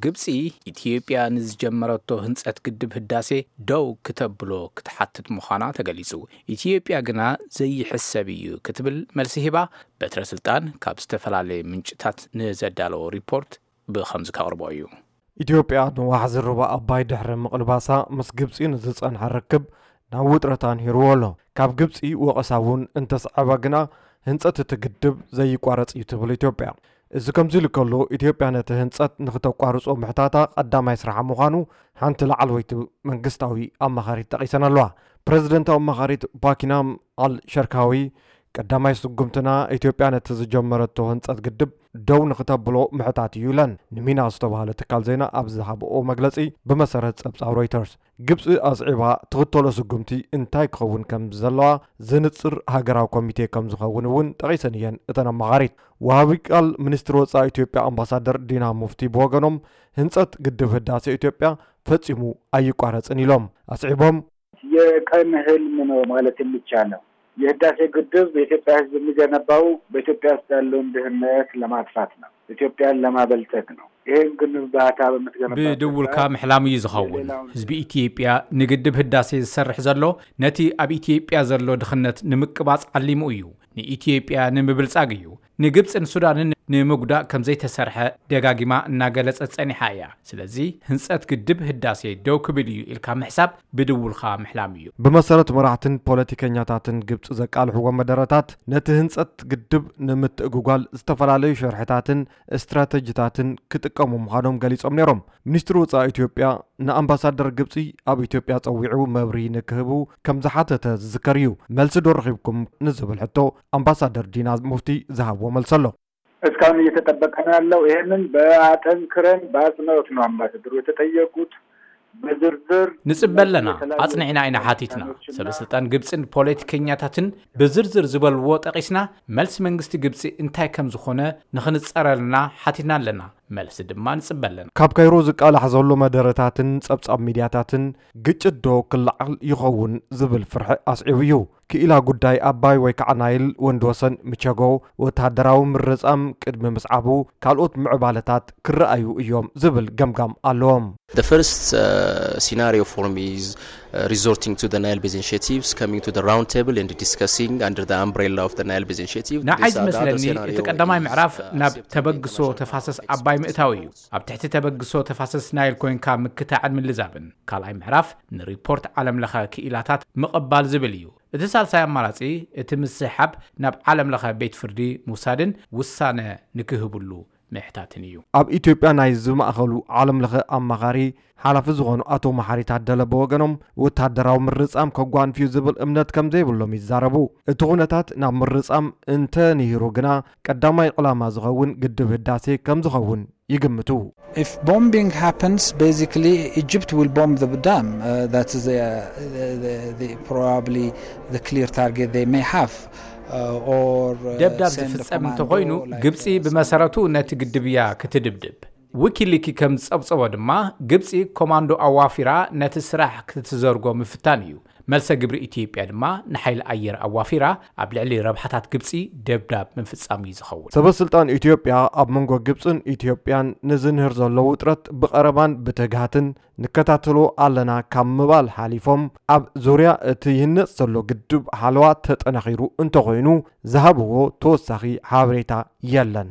ግብፂ ኢትዮጵያ ንዝጀመረቶ ህንፀት ግድብ ህዳሴ ደው ክተብሎ ክትሓትት ምዃና ተገሊፁ። ኢትዮጵያ ግና ዘይሕሰብ እዩ ክትብል መልሲ ሂባ። በትረ ስልጣን ካብ ዝተፈላለየ ምንጭታት ንዘዳለዎ ሪፖርት ብኸምዚ ከቕርቦ እዩ። ኢትዮጵያ ንዋሕዚ ሩባ ኣባይ ድሕሪ ምቕልባሳ ምስ ግብፂ ንዝፀንሐ ርክብ ናብ ውጥረት ኣንሂርዎ ኣሎ። ካብ ግብፂ ወቐሳ እውን እንተስዓበ ግና ህንፀት እቲ ግድብ ዘይቋረፅ እዩ ትብል ኢትዮጵያ። እዚ ከምዚ ኢሉ ከሎ ኢትዮጵያ ነቲ ህንፀት ንክተቋርፆ ምሕታታ ቀዳማይ ስራሓ ምዃኑ ሓንቲ ላዕለወይቲ መንግስታዊ ኣማኻሪት ጠቒሰን ኣለዋ። ፕረዚደንታዊ ኣማኻሪት ባኪናም ኣል ሸርካዊ ቀዳማይ ስጉምትና ኢትዮጵያ ነቲ ዝጀመረቶ ህንፀት ግድብ ደው ንክተብሎ ምሕታት እዩ ኢለን ንሚና ዝተባህለ ትካል ዜና ኣብ ዝሃብኦ መግለፂ ብመሰረት ፀብፃብ ሮይተርስ። ግብፂ ኣስዒባ ትኽተሎ ስጉምቲ እንታይ ክኸውን ከም ዘለዋ ዝንፅር ሃገራዊ ኮሚቴ ከም ዝኸውን እውን ጠቒሰን እየን እተን ኣማኻሪት። ወሃቢ ቃል ሚኒስትሪ ወፃኢ ኢትዮጵያ ኣምባሳደር ዲና ሙፍቲ ብወገኖም ህንፀት ግድብ ህዳሴ ኢትዮጵያ ፈጺሙ ኣይቋረፅን ኢሎም ኣስዒቦም። የቀን ህልም ነው ማለት የሚቻለው። የህዳሴ ግድብ የኢትዮጵያ ህዝብ የሚገነባው በኢትዮጵያ ውስጥ ያለውን ድህነት ለማጥፋት ነው፣ ኢትዮጵያን ለማበልጸግ ነው። ይህን ግንባታ በምትገነባበት ብድውልካ ምሕላም እዩ ዝኸውን። ህዝቢ ኢትዮጵያ ንግድብ ህዳሴ ዝሰርሕ ዘሎ ነቲ ኣብ ኢትዮጵያ ዘሎ ድኽነት ንምቅባጽ ዓሊሙ እዩ። ንኢትዮጵያ ንምብልጻግ እዩ። ንግብፅን ሱዳንን ንምጉዳእ ከም ዘይተሰርሐ ደጋጊማ እናገለጸት ጸኒሓ እያ። ስለዚ ህንፀት ግድብ ህዳሴ ደው ክብል እዩ ኢልካ ምሕሳብ ብድውልኻ ምሕላም እዩ። ብመሰረት መራሕትን ፖለቲከኛታትን ግብፂ ዘቃልሕዎ መደረታት ነቲ ህንፀት ግድብ ንምትእጉጓል ዝተፈላለዩ ሸርሕታትን ስትራተጂታትን ክጥቀሙ ምዃኖም ገሊጾም ነይሮም። ሚኒስትሪ ወፃኢ ኢትዮጵያ ንኣምባሳደር ግብፂ ኣብ ኢትዮጵያ ፀዊዑ መብርሂ ንክህቡ ከም ዝሓተተ ዝዝከር እዩ። መልሲ ዶ ረኺብኩም ንዝብል ሕቶ ኣምባሳደር ዲና ሙፍቲ ዝሃብዎ መልሲ ኣሎ። እስካሁን እየተጠበቀ ነው ያለው። ይህንን በአጠንክረን በአጽንኦት ነው አምባሳደሩ የተጠየቁት። በዝርዝር ንጽበ ኣለና፣ ኣጽኒዕና ኢና ሓቲትና። ሰበ ስልጣን ግብፅን ፖለቲከኛታትን ብዝርዝር ዝበልዎ ጠቒስና መልሲ መንግስቲ ግብፂ እንታይ ከም ዝኾነ ንኽንፀረልና ሓቲትና ኣለና። መልሲ ድማ ንጽበ ኣለና። ካብ ካይሮ ዝቃላሕ ዘሎ መደረታትን ጸብጻብ ሚድያታትን ግጭት ዶ ክለዓል ይኸውን ዝብል ፍርሒ ኣስዒቡ እዩ። ክኢላ ጉዳይ ኣባይ ወይ ከዓ ናይል ወንድወሰን ምቸጎ ወታደራዊ ምርጻም ቅድሚ ምስዓቡ ካልኦት ምዕባለታት ክረኣዩ እዮም ዝብል ገምጋም ኣለዎም። The first uh, scenario for me is uh, resorting to the Nile Basin initiatives, coming to the round table and discussing under the umbrella of the Nile Basin initiative. ንዓይ ዝመስለኒ እቲ ቀዳማይ ምዕራፍ ናብ ተበግሶ ተፋሰስ ኣባይ ምእታው እዩ። ኣብ ትሕቲ ተበግሶ ተፋሰስ ናይል ኮይንካ ምክታዕን ምልዛብን። ካልኣይ ምዕራፍ ንሪፖርት ዓለም ለኸ ክኢላታት ምቕባል ዝብል እዩ። እቲ ሳልሳይ ኣማራጺ እቲ ምስሕሓብ ናብ ዓለም ለኸ ቤት ፍርዲ ምውሳድን ውሳነ ንክህብሉ ምሕታትን እዩ። ኣብ ኢትዮጵያ ናይ ዝማእኸሉ ዓለም ለኸ ኣማኻሪ ሓላፊ ዝኾኑ ኣቶ መሓሪ ታደለ ብወገኖም ወታደራዊ ምርጻም ከጓንፍዩ ዝብል እምነት ከም ዘይብሎም ይዛረቡ። እቲ ኩነታት ናብ ምርጻም እንተ ንሂሩ ግና ቀዳማይ ዕላማ ዝኸውን ግድብ ህዳሴ ከም ዝኸውን ይግምቱ። If bombing happens, basically Egypt will bomb the dam. Uh, that is the, uh, the, the, the, probably the clear target they may have. Uh, or, uh, ደብዳብ ዝፍጸም እንተኾይኑ ግብጺ ብመሰረቱ ነቲ ግድብ እያ ክትድብድብ። ዊኪሊኪ ከም ዝጸብጸቦ ድማ ግብጺ ኮማንዶ ኣዋፊራ ነቲ ስራሕ ክትዘርጎ ምፍታን እዩ። መልሰ ግብሪ ኢትዮጵያ ድማ ንሓይሊ ኣየር ኣዋፊራ ኣብ ልዕሊ ረብሓታት ግብጺ ደብዳብ ምፍጻም እዩ ዝኸውን። ሰበስልጣን ኢትዮጵያ ኣብ መንጎ ግብጽን ኢትዮጵያን ንዝንህር ዘሎ ውጥረት ብቐረባን ብትግሃትን ንከታተሎ ኣለና ካብ ምባል ሓሊፎም ኣብ ዙርያ እቲ ይህነጽ ዘሎ ግድብ ሓለዋ ተጠናኺሩ እንተኾይኑ ዝሃብዎ ተወሳኺ ሓበሬታ የለን።